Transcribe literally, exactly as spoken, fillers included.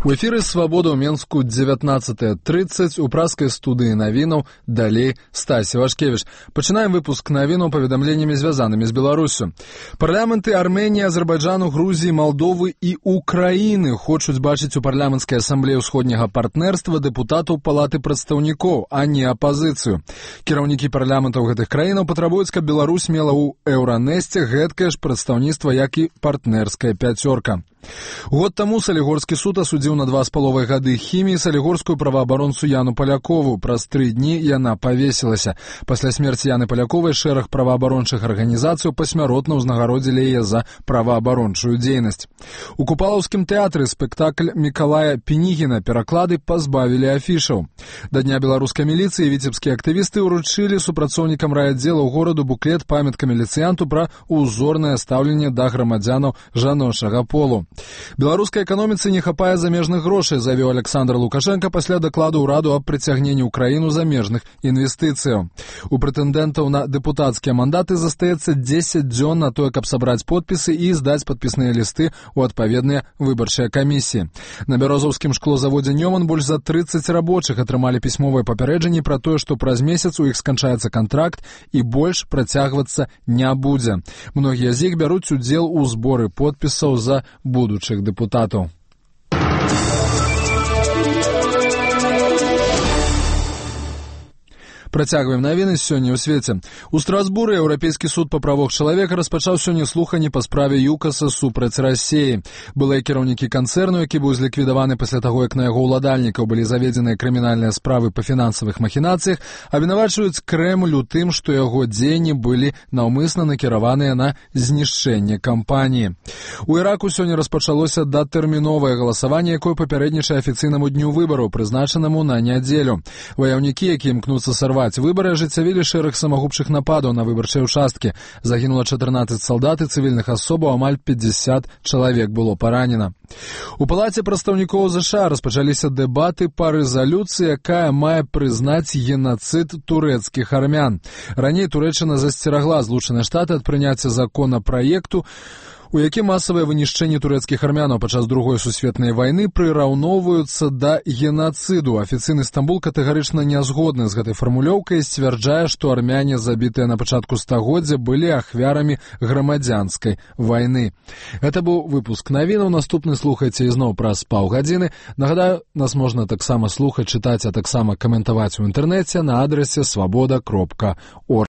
У эфіры «Свабода» ў Менску дзевятнаццатая трыццаць, у праскай студыі навінаў, далей Стасі Вашкевіч. Пачынаем выпуск навінаў паведамленнямі, звязанымі з Беларусю. Парламенты Арменіі, Азербайджану, Грузіі, Малдовы і Украіны хочуць бачыць у парламенцкай асамблеі ўсходняга партнерства дэпутатаў Палаты прадстаўнікоў, а не апазіцыю. Кіраўнікі парламентаў гэтых краінаў патрабуюць, каб Беларусь мела ў Еўранесце гэткае ж прадстаўніцтва, як і партнерская пяцёрка. Год таму Салігорскі суд асудзіў на два з паловай гады хіміі салігорскую праваабаронцу Яну Палякову. Праз тры дні яна павесілася. Пасля смерці Яны Паляковай шэраг праваабарончых арганізацыяў пасмяротна ўзнагародзілі яе за праваабарончую дзейнасць. У Купалаўскім тэатры спектакль Мікалая Пінігіна пераклады пазбавілі афішаў. Да дня беларускай міліцыі віцебскія актывісты ўручылі супрацоўнікам райаддзелаў гораду буклет памятка міліцыянту пра ўзорнае стаўленне да грамадзянаў жаночага полу. Беларускай эканоміцы не хапае замежных грошай, заявіў Александр Лукашенко пасля дакладу ўраду аб прыцягненні ў краіну замежных інвестыцыяў. У прэтэндэнтаў на дэпутацкія мандаты застаецца дзесяць дзён на тое, каб сабраць подпісы і здаць падпісныя лісты ў адпаведныя выбарчыя камісіі. На бярозаўскім шклозаводзе «Нёман» больш за трыццаць рабочых атрымалі пісьмовыя папярэджанні пра тое, што праз месяц у іх сканчаецца кантракт і больш працягвацца не будзе. Многія з іх бяруць удзел у зборы подпісаў за будучых дэпутатаў. Працягваем навіны сёння ў свеце. У Страсбуры Еўрапейскі суд па правах чалавека распачаў сёння слуханні па справе ЮКАСа супраць Расіі. Былыя кіраўнікі канцэрну, які быў зліквідаваны пасля таго, як на яго ўладальнікаў былі заведзеныя крымінальныя справы па фінансавых махінацыях, абвінавачваюць Крэмль у тым, што яго дзеянні былі наўмысна накіраваныя на знішчэнне кампаніі. У Іраку сёння распачалося датэрміновае галасаванне, якое папярэднічае афіцыйнаму дню выбараў, прызначанаму на нядзелю. Ваяўнікі, якія імкнуцца сарваць выбары, ажыццявілі шэраг самагубчых нападаў на выбарчыя ўчасткі. Загінула чатырнаццаць салдат і цывільных асобаў, амаль пятьдесят чалавек было паранена. У Палаце прадстаўнікоў ЗША распачаліся дэбаты па рэзалюцыі, якая мае прызнаць генацыд турэцкіх армян. Раней Турэччына засцерагла Злучаныя Штаты ад прыняцця законапраекту, у якім масавыя вынішчэнні турэцкіх армянаў падчас другой сусветнай вайны прыраўноўваюцца да генацыду. Афіцыйны Стамбул катэгарычна не згодны з гэтай фармулёўкай і сцвярджае, што армяне, забітыя на пачатку стагоддзя, былі ахвярамі грамадзянскай вайны. Гэта быў выпуск навінаў. Наступны слухайце ізноў праз паўгадзіны. Нагадаю, нас можна таксама слухаць, чытаць, а таксама каментаваць у інтэрнэце на адрасе свабода кропка орг.